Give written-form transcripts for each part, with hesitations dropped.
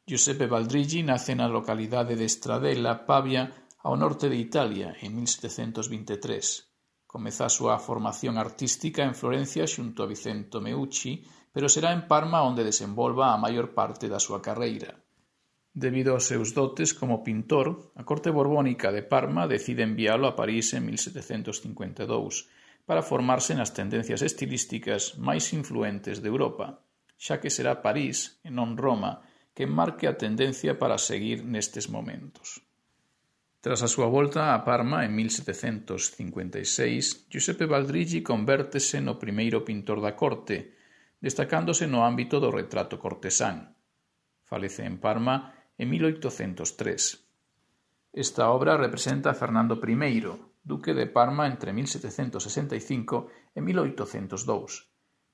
Giuseppe Valdrigi nace na localidade de Stradella, Pavia, ao norte de Italia, en 1723. Comeza a súa formación artística en Florencia xunto a Vicento Meucci, pero será en Parma onde desenvolva a maior parte da súa carreira. Debido aos seus dotes como pintor, a corte borbónica de Parma decide enviálo a París en 1752 para formarse nas tendencias estilísticas máis influentes de Europa, xa que será París, e non Roma, que marque a tendencia para seguir nestes momentos. Tras a súa volta a Parma en 1756, Giuseppe Valdrigi convértese no primeiro pintor da corte, destacándose no ámbito do retrato cortesán. Falece en Parma en 1803. Esta obra representa a Fernando I, duque de Parma entre 1765 e 1802,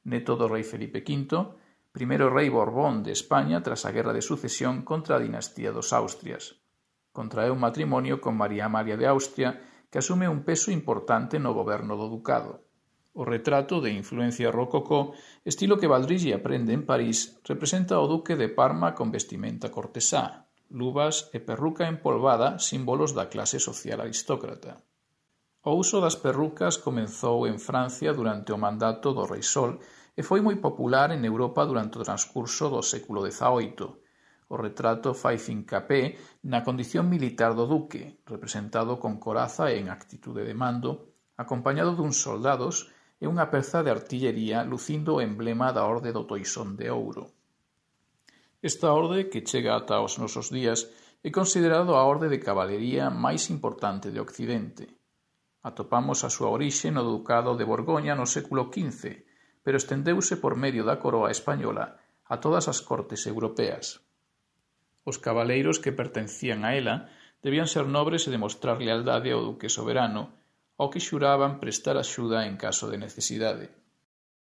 neto do rei Felipe V, primeiro rei Borbón de España tras a Guerra de Sucesión contra a dinastía dos Austrias. Contraeu matrimonio con María Amalia de Austria, que asume un peso importante no goberno do ducado. O retrato, de influencia rococó, estilo que Valdrigi aprende en París, representa ao duque de Parma con vestimenta cortesá, luvas e perruca empolvada, símbolos da clase social aristócrata. O uso das perrucas comezou en Francia durante o mandato do rei Sol e foi moi popular en Europa durante o transcurso do século XVIII. O retrato fai fincapé na condición militar do duque, representado con coraza e en actitude de mando, acompañado duns soldados e unha peza de artillería lucindo o emblema da Orde do Toisón de Ouro. Esta orde, que chega ata os nosos días, é considerado a orde de cabalería máis importante de Occidente. Atopamos a súa orixe no Ducado de Borgoña no século XV, pero estendeuse por medio da coroa española a todas as cortes europeas. Os cabaleiros que pertencían a ela debían ser nobres e demostrar lealdade ao duque soberano, ao que xuraban prestar axuda en caso de necesidade.